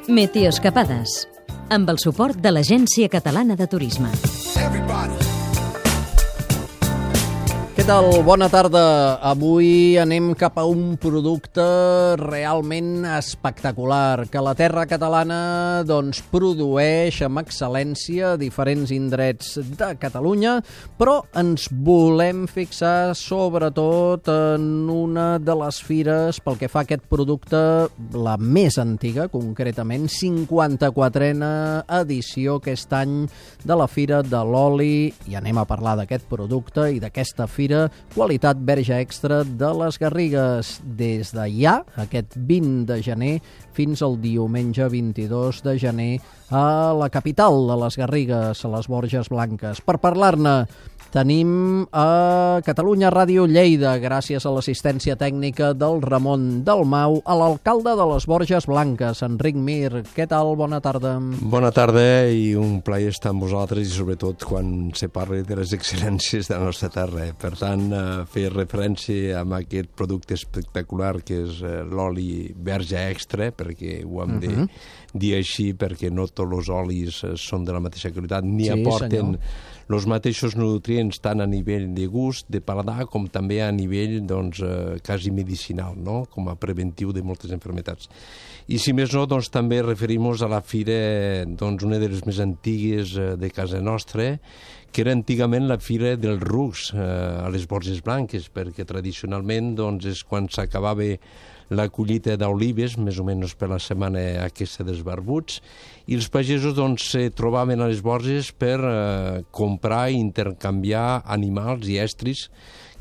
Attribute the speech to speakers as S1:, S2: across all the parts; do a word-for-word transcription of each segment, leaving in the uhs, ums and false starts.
S1: Meteoescapades, amb el suport de l'Agència Catalana de Turisme.
S2: Què tal? Bona tarda. Avui anem cap a un producte realment espectacular que la terra catalana doncs, produeix amb excel·lència a diferents indrets de Catalunya, però ens volem fixar sobretot en una de les fires pel que fa a aquest producte, la més antiga, concretament, cinquanta-quatrena edició aquest any de la Fira de l'Oli, i anem a parlar d'aquest producte i d'aquesta fira Qualitat Verge Extra de les Garrigues, des de ja, aquest vint de gener, fins al diumenge vint-i-dos de gener a la capital de les Garrigues, a les Borges Blanques. Per parlar-ne tenim a Catalunya Ràdio Lleida, gràcies a l'assistència tècnica del Ramon Dalmau, a l'alcalde de les Borges Blanques, Enric Mir. Què tal? Bona tarda.
S3: Bona tarda i un plaer estar amb vosaltres i sobretot quan se parli de les excel·lències de la nostra terra. Per tant, fer referència a aquest producte espectacular que és l'oli verge extra, perquè ho hem de uh-huh. dir així, perquè no tots els olis són de la mateixa qualitat, ni sí, aporten els mateixos nutrients tant a nivell de gust, de paladar, com també a nivell doncs, eh, quasi medicinal, no? Com a preventiu de moltes malalties. I si més no, doncs, també referim-nos a la fira, doncs, una de les més antigues eh, de casa nostra, que era antigament la fira dels rucs eh, a les Borges Blanques, perquè tradicionalment doncs, és quan s'acabava la collita d'olives, més o menys per la setmana aquesta dels barbuts, i els pagesos doncs, se trobaven a les Borges per eh, comprar i intercanviar animals i estris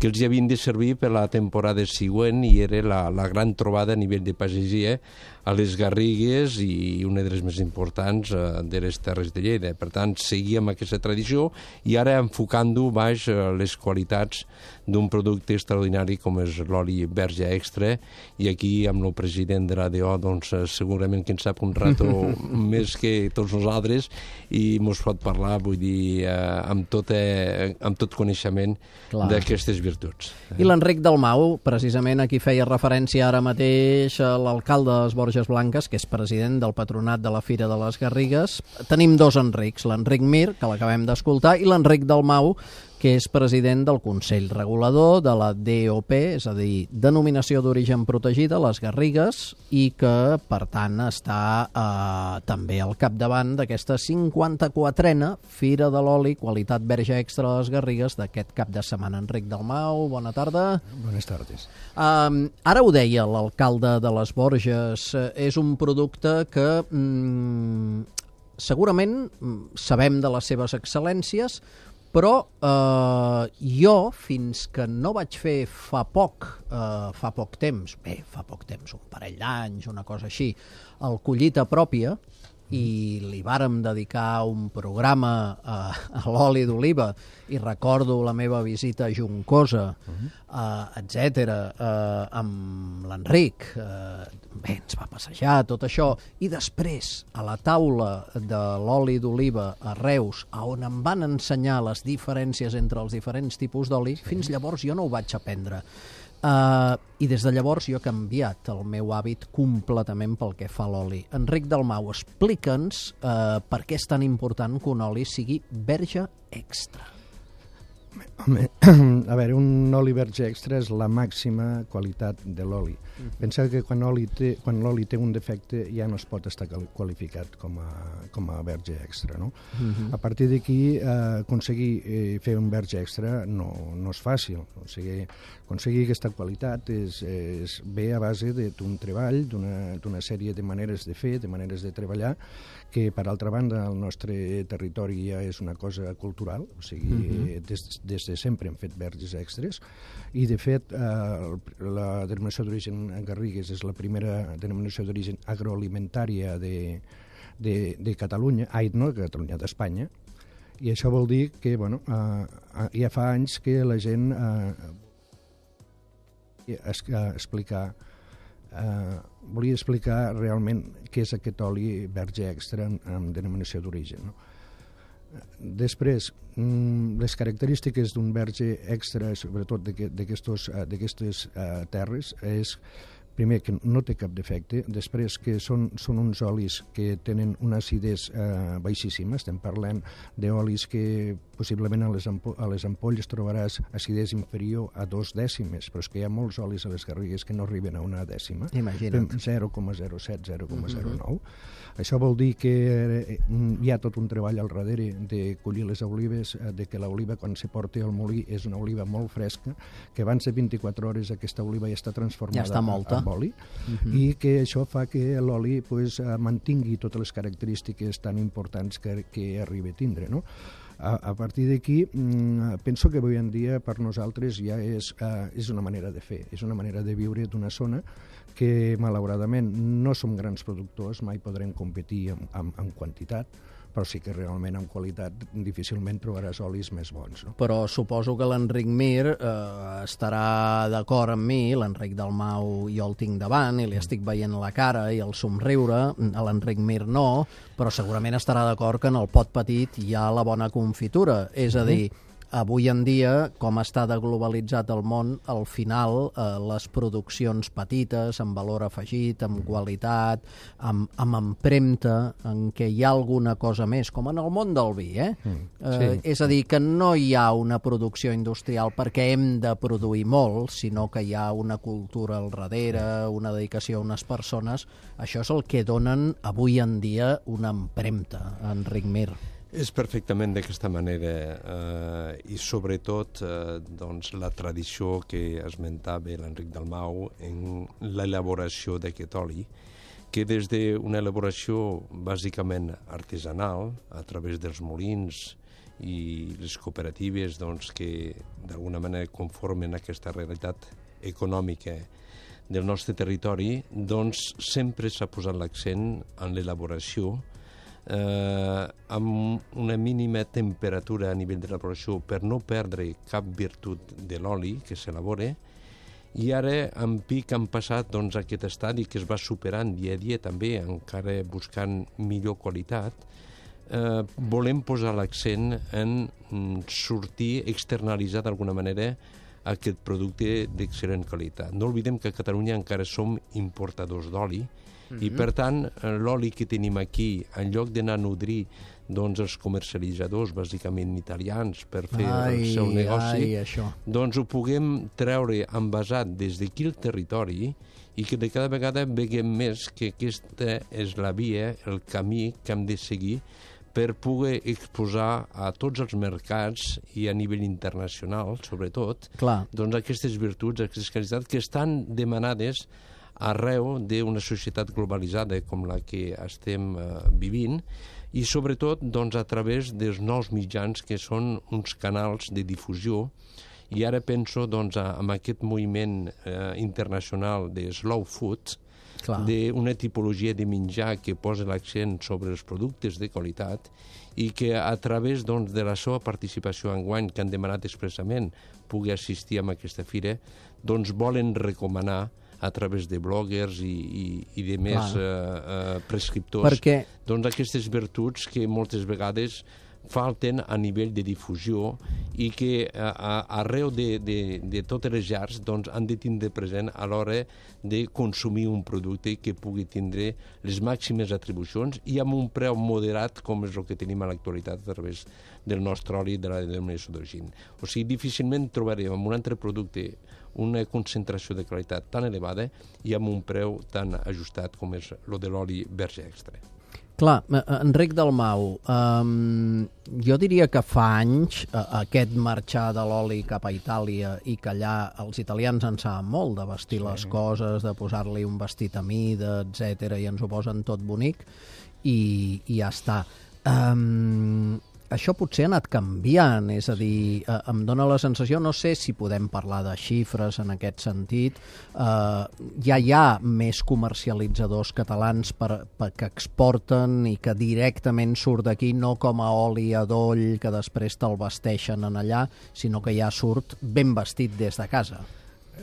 S3: que els havien de servir per la temporada següent, i era la, la gran trobada a nivell de pagesia a les Garrigues i una de les més importants eh, de les Terres de Lleida. Per tant, seguíem aquesta tradició i ara enfocant-ho baix eh, les qualitats d'un producte extraordinari com és l'oli verge extra, i aquí amb el president de l'A D O doncs, segurament que en sap un rato més que tots nosaltres i mos pot parlar, vull dir, eh, amb, tot, eh, amb tot coneixement d'aquestes virtuts.
S2: I l'Enric Dalmau, precisament a qui feia referència ara mateix, l'alcalde de les Borges Blanques, que és president del patronat de la Fira de les Garrigues. Tenim dos Enrics, l'Enric Mir, que l'acabem d'escoltar, i l'Enric Dalmau, que és president del Consell Regulador de la D O P, és a dir, Denominació d'Origen Protegida, les Garrigues, i que, per tant, està eh, també al capdavant d'aquesta cinquanta-quatrena Fira de l'Oli, Qualitat Verge Extra de les Garrigues, d'aquest cap de setmana. Enric Dalmau, bona tarda.
S4: Bones tardes.
S2: Um, ara ho deia l'alcalde de les Borges, és un producte que mm, segurament sabem de les seves excel·lències, però eh, jo, fins que no vaig fer fa poc, eh, fa poc temps, bé, fa poc temps, un parell d'anys, una cosa així, el Collita Pròpia, i li vàrem dedicar un programa eh, a l'oli d'oliva, i recordo la meva visita a Juncosa, uh-huh. eh, etcètera, eh, amb l'Enric, eh, bé, ens va passejar tot això, i després a la taula de l'oli d'oliva a Reus, on em van ensenyar les diferències entre els diferents tipus d'oli, sí. Fins llavors jo no ho vaig aprendre. Uh, I des de llavors jo he canviat el meu hàbit completament pel que fa a l'oli. Enric Dalmau, explica'ns uh, per què és tan important que un oli sigui verge extra.
S4: Home, a veure, un oli verge extra és la màxima qualitat de l'oli. Uh-huh. Pensa que quan l'oli té, quan l'oli té un defecte ja no es pot estar qualificat com a, com a verge extra, no? Uh-huh. A partir d'aquí, eh, aconseguir eh, fer un verge extra no, no és fàcil. O sigui, aconseguir aquesta qualitat és, és ve a base d'un treball, d'una sèrie de maneres de fer, de maneres de treballar, que per altra banda el nostre territori ja és una cosa cultural, o sigui, uh-huh. des, des de sempre hem fet verges extres, i de fet eh, la denominació d'origen Garrigues és la primera denominació d'origen agroalimentària de, de, de Catalunya, ai, no de Catalunya, d'Espanya, i això vol dir que, bueno, eh, ja fa anys que la gent eh, es, eh, explicar Uh, volia explicar realment què és aquest oli verge extra amb, amb denominació d'origen, no? Després, mm, les característiques d'un verge extra, sobretot d'aquestes uh, uh, terres, és primer, que no té cap defecte, després que són, són uns olis que tenen una acidesa eh, baixíssima, estem parlant d'olis que possiblement a les, ampo a les ampolles trobaràs acidesa inferior a dos dècimes, però és que hi ha molts olis a les garrigues que no arriben a una dècima.
S2: Imagina't.
S4: zero coma zero set, zero coma zero nou. Uh-huh. Això vol dir que hi ha tot un treball al darrere de collir les olives, de que l'oliva quan se porta al molí és una oliva molt fresca, que abans de vint-i-quatre hores aquesta oliva ja està transformada
S2: ja està molta.
S4: en oli,
S2: uh-huh.
S4: i que això fa que l'oli pues, mantingui totes les característiques tan importants que, que arriba a tindre, no? A, a partir d'aquí, mmm, penso que avui en dia per nosaltres ja és, uh, és una manera de fer, és una manera de viure d'una zona que malauradament no som grans productors, mai podrem competir en, en, en quantitat, però sí que realment en qualitat difícilment trobaràs olis més bons. No?
S2: Però suposo que l'Enric Mir eh, estarà d'acord amb mi, l'Enric Dalmau jo el tinc davant i li estic veient la cara i el somriure, a l'Enric Mir no, però segurament estarà d'acord que en el pot petit hi ha la bona confitura, és a dir, avui en dia, com està de globalitzat el món, al final eh, les produccions petites, amb valor afegit, amb qualitat, amb, amb empremta, en què hi ha alguna cosa més, com en el món del vi, eh? Mm, sí. eh és a dir, que no hi ha una producció industrial perquè hem de produir molt, sinó que hi ha una cultura al darrere, una dedicació a unes persones. Això és el que donen avui en dia una empremta, Enric Mir.
S3: És perfectament d'aquesta manera eh, i sobretot eh, doncs, la tradició que esmentava l'Enric Dalmau en l'elaboració d'aquest oli, que des d'una elaboració bàsicament artesanal, a través dels molins i les cooperatives doncs, que d'alguna manera conformen aquesta realitat econòmica del nostre territori, doncs sempre s'ha posat l'accent en l'elaboració Eh, amb una mínima temperatura a nivell de l'elaboració per no perdre cap virtut de l'oli que s'elabora, i ara en pic han passat doncs, aquest estadi que es va superant dia a dia també, encara buscant millor qualitat. Eh, volem posar l'accent en sortir, externalitzar d'alguna manera aquest producte d'excel·lent qualitat. No oblidem que a Catalunya encara som importadors d'oli, mm-hmm. i per tant l'oli que tenim aquí, en lloc d'anar a nodrir doncs, els comercialitzadors bàsicament italians per fer ai, el seu negoci, ai, doncs ho puguem treure envasat des d'aquí el territori i que de cada vegada veiem més que aquesta és la via, el camí que hem de seguir per poder exposar a tots els mercats i a nivell internacional, sobretot,
S2: clar,
S3: doncs aquestes virtuts, aquestes qualitats que estan demanades arreu d'una societat globalitzada com la que estem eh, vivint, i sobretot doncs, a través dels nous mitjans que són uns canals de difusió. I ara penso doncs, en aquest moviment eh, internacional de slow food, d'una tipologia de menjar que posa l'accent sobre els productes de qualitat i que a través doncs, de la seva participació enguany, que han demanat expressament pugui assistir a aquesta fira, doncs volen recomanar a través de bloggers i, i, i de més eh, eh, prescriptors
S2: perquè...
S3: doncs aquestes virtuts que moltes vegades falten a nivell de difusió i que a, a, arreu de, de, de totes les llars doncs, han de tindre present a l'hora de consumir un producte que pugui tindre les màximes atribucions i amb un preu moderat com és el que tenim a l'actualitat a través del nostre oli de la denominació d'origen. O sigui, difícilment trobarem en un altre producte una concentració de qualitat tan elevada i amb un preu tan ajustat com és el de l'oli verge extra.
S2: Clar, Enric Dalmau, um, jo diria que fa anys uh, aquest marxar de l'oli cap a Itàlia i que allà els italians en saben molt de vestir sí. les coses, de posar-li un vestit a mida, etcètera, i ens ho posen tot bonic i, i ja està. Um, això potser ha anat canviant, és a dir, eh, em dóna la sensació, no sé si podem parlar de xifres en aquest sentit, eh, ja hi ha més comercialitzadors catalans per, per, que exporten i que directament surt d'aquí, no com a oli adoll que després te'l vesteixen en allà, sinó que ja surt ben vestit des de casa.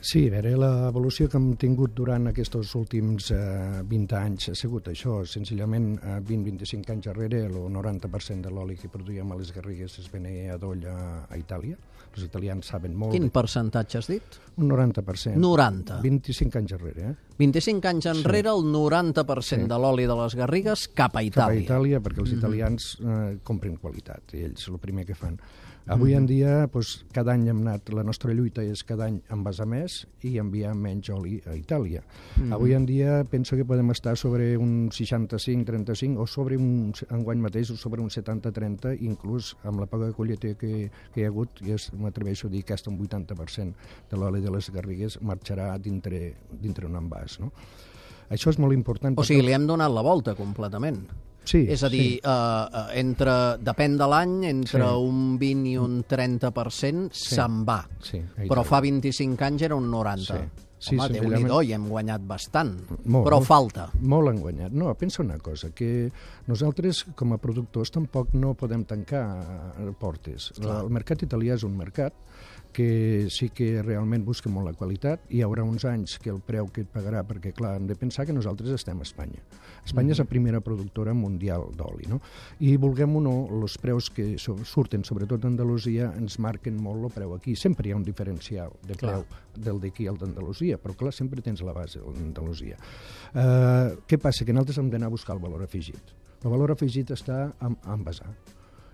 S4: Sí, a veure, l'evolució que hem tingut durant aquests últims eh, vint anys ha sigut això, senzillament eh, vint a vint-i-cinc anys darrere el noranta per cent de l'oli que produïem a les Garrigues es venia a Doll a, a Itàlia. Els italians saben molt...
S2: Quin percentatge has dit?
S4: Un noranta per cent.
S2: noranta.
S4: vint-i-cinc anys darrere, eh?
S2: vint-i-cinc anys enrere, sí. El noranta per cent sí. de l'oli de les Garrigues cap a Itàlia.
S4: Cap a Itàlia, perquè els italians eh, compren qualitat, i ells el primer que fan. Avui en dia, doncs, cada any hem anat, la nostra lluita és cada any envasar més i enviar menys oli a Itàlia. Mm-hmm. Avui en dia penso que podem estar sobre un seixanta-cinc trenta-cinc o sobre un, enguany mateix, sobre un setanta trenta, inclús amb la poca collita que, que hi ha hagut, i m'atreveixo a dir que fins un vuitanta per cent de l'oli de les Garrigues marxarà dintre, dintre un envàs. No? Això és molt important.
S2: O sigui, li hem donat la volta completament.
S4: Sí,
S2: és a dir,
S4: sí.
S2: eh, entre, depèn de l'any, entre sí. un vint i un trenta per cent sí. se'n va.
S4: Sí,
S2: però fa vint-i-cinc anys era un noranta. Sí.
S4: Sí,
S2: Home, Déu-n'hi-do, i hem guanyat bastant,
S4: molt,
S2: però falta.
S4: Molt han guanyat. No, pensa una cosa, que nosaltres com a productors tampoc no podem tancar portes. Clar. El mercat italià és un mercat que sí que realment busca molt la qualitat. Hi haurà uns anys que el preu que et pagarà, perquè clar, hem de pensar que nosaltres estem a Espanya. Espanya mm. és la primera productora mundial d'oli, no? I vulguem o no, els preus que surten, sobretot d'Andalusia, ens marquen molt el preu aquí. Sempre hi ha un diferencial de preu clar. Del d'aquí al d'Andalusia, però clar, sempre tens la base d'Andalusia. Uh, què passa? Que nosaltres hem d'anar a buscar el valor afegit. El valor afegit està a envasar.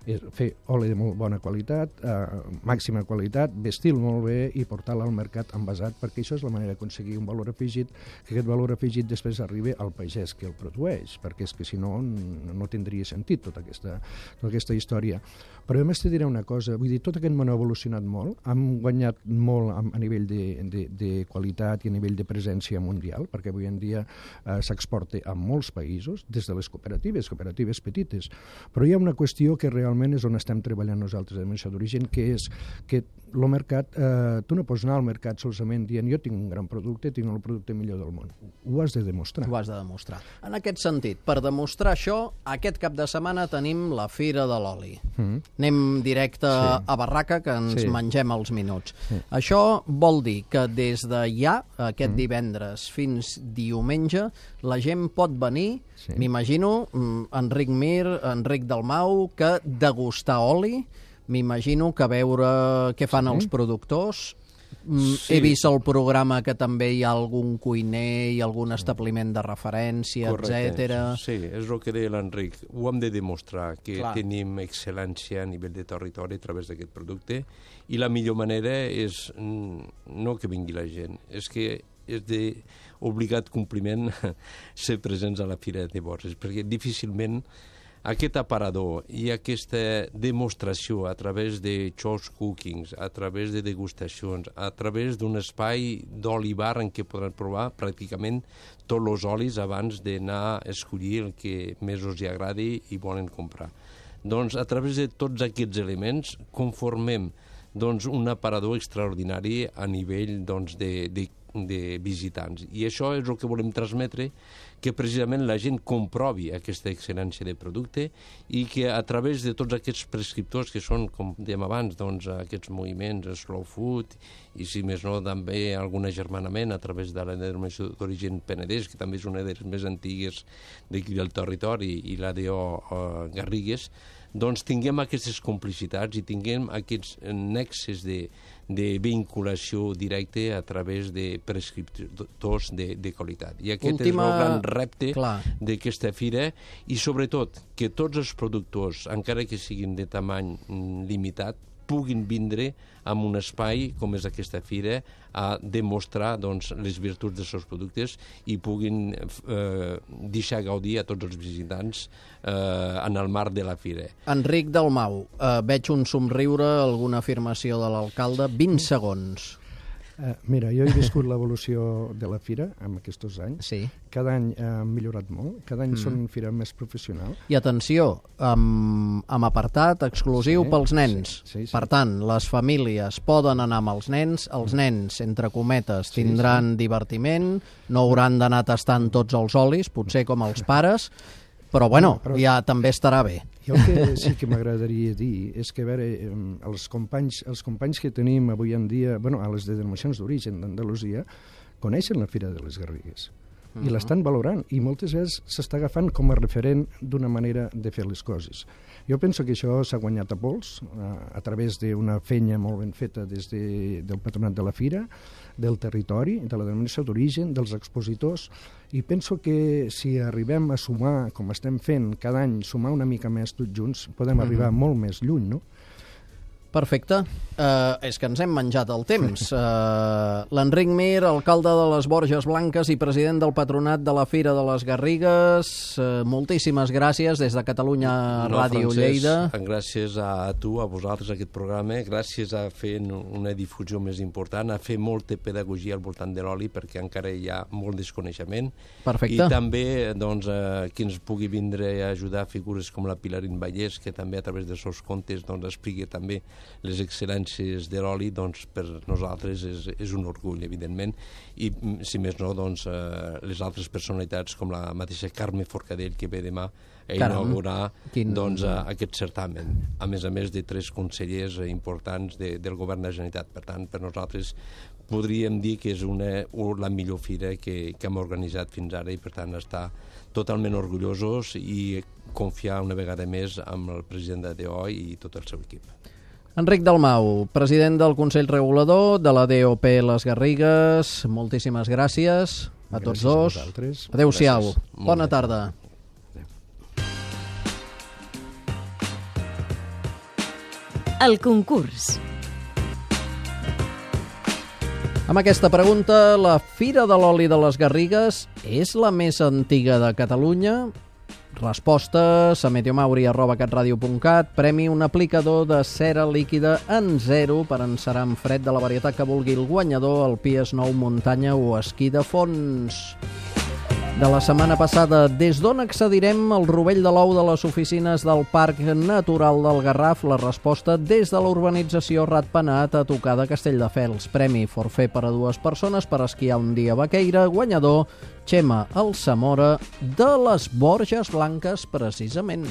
S4: És fer oli de molt bona qualitat, eh, màxima qualitat, vestir-lo molt bé i portar-lo al mercat envasat, perquè això és la manera d'aconseguir un valor afegit, que aquest valor afegit després arribi al pagès que el produeix, perquè és que si no, no tindria sentit tota aquesta, tota aquesta història. Però a més te diré una cosa, vull dir, tot aquest món ha evolucionat molt, hem guanyat molt a, a nivell de, de, de qualitat i a nivell de presència mundial, perquè avui en dia eh, s'exporta a molts països, des de les cooperatives, cooperatives petites, però hi ha una qüestió que realment és on estem treballant nosaltres en això d'origen, que és que el mercat, eh, tu no pots anar al mercat solament dient jo tinc un gran producte, tinc el producte millor del món. Ho has de demostrar.
S2: Ho has de demostrar. En aquest sentit, per demostrar això, aquest cap de setmana tenim la Fira de l'Oli. Mm. Anem directe sí. a Barraca, que ens sí. mengem els minuts. Sí. Això vol dir que des de ja, aquest mm. divendres fins diumenge, la gent pot venir, sí. m'imagino, Enric Mir, Enric Dalmau, que degustar oli, m'imagino que veure què fan sí. els productors. Sí. He vist el programa que també hi ha algun cuiner i algun establiment de referència, etcètera.
S3: Sí, és el que deia l'Enric. Ho hem de demostrar, que Clar. tenim excel·lència a nivell de territori a través d'aquest producte, i la millor manera és no que vingui la gent, és que és d'obligat compliment ser presents a la Fira de Borges, perquè difícilment aquest aparador i aquesta demostració a través de shows cookings, a través de degustacions, a través d'un espai d'oli-bar en què podran provar pràcticament tots els olis abans d'anar a escollir el que més els agradi i volen comprar. Doncs a través de tots aquests elements conformem doncs, un aparador extraordinari a nivell doncs, de, de de visitants. I això és el que volem transmetre, que precisament la gent comprovi aquesta excel·lència de producte i que a través de tots aquests prescriptors que són, com dèiem abans, doncs, aquests moviments, slow food, i si més no també algun agermanament a través de la denominació d'origen Penedès, que també és una de les més antigues d'aquí del territori, i la de uh, Garrigues, doncs tinguem aquestes complicitats i tinguem aquests nexes de, de vinculació directa a través de prescriptors de, de qualitat. I aquest Última... és el gran repte d'aquesta fira, i sobretot que tots els productors, encara que siguin de tamany limitat, puguin vindre amb un espai com és aquesta fira a demostrar doncs, les virtuts dels seus productes i puguin eh, deixar gaudir a tots els visitants eh, en el marc de la fira.
S2: Enric Dalmau, eh, veig un somriure, alguna afirmació de l'alcalde, vint segons.
S4: Uh, mira, jo he viscut l'evolució de la fira en aquests anys.
S2: Sí.
S4: Cada any ha millorat molt, cada any mm. són fira més professional.
S2: I atenció, amb, amb apartat exclusiu sí, pels nens. Sí, sí, sí. Per tant, les famílies poden anar amb els nens, els nens, entre cometes, tindran sí, sí. divertiment, no hauran d'anar tastant tots els olis, potser com els pares, però bueno,
S4: No, però-
S2: ja també estarà bé.
S4: Jo el que sí que m'agradaria dir és que, a veure, em, els companys, els companys que tenim avui en dia, bueno, a les denominacions d'origen d'Andalusia, coneixen la Fira de les Garrigues i l'estan valorant, i moltes vegades s'està agafant com a referent d'una manera de fer les coses. Jo penso que això s'ha guanyat a pols a, a través d'una feina molt ben feta des de, del patronat de la Fira, del territori, de la denominació d'origen, dels expositors, i penso que si arribem a sumar, com estem fent cada any, sumar una mica més tots junts, podem arribar molt més lluny, no?
S2: Perfecte. Uh, és que ens hem menjat el temps. Uh, L'Enric Mir, alcalde de les Borges Blanques i president del patronat de la Fira de les Garrigues, uh, moltíssimes gràcies des de Catalunya
S3: No,
S2: Ràdio
S3: Francesc,
S2: Lleida.
S3: Gràcies a tu, a vosaltres, a aquest programa, gràcies a fer una difusió més important, a fer molta pedagogia al voltant de l'oli, perquè encara hi ha molt desconeixement.
S2: Perfecte.
S3: I també doncs, eh, qui ens pugui vindre a ajudar figures com la Pilarín Vallès, que també a través dels seus contes doncs, expliqui també les excel·lències de l'oli, doncs, per nosaltres és, és un orgull, evidentment, i si més no, doncs, eh, les altres personalitats com la mateixa Carme Forcadell, que ve demà a inaugurar
S2: Quin...
S3: doncs, a, aquest certamen, a més a més de tres consellers importants de, del govern de la Generalitat. Per tant, per nosaltres podríem dir que és una, la millor fira que, que hem organitzat fins ara, i per tant estar totalment orgullosos i confiar una vegada més amb el president de D O i tot el seu equip.
S2: Enric Dalmau, president del Consell Regulador de la D O P Les Garrigues, moltíssimes gràcies a tots
S4: Gràcies a
S2: dos.
S4: vosaltres.
S2: Adéu-siau.
S3: Gràcies. Molt
S2: Bona
S3: bé.
S2: tarda.
S1: El concurs.
S2: Amb aquesta pregunta, la Fira de l'Oli de les Garrigues és la més antiga de Catalunya? Respostes a meteomauri arroba catradio punt cat. Premi un aplicador de cera líquida en zero per encerar amb fred de la varietat que vulgui el guanyador, el Pies Nou Muntanya o Esquí de Fons. De la setmana passada, des d'on accedirem al rovell de l'ou de les oficines del Parc Natural del Garraf? La resposta des de la urbanització Ratpenat a tocar de Castelldefels. Premi forfè per a dues persones per esquiar un dia a Baqueira. Guanyador, Xema Alsamora de les Borges Blanques, precisament.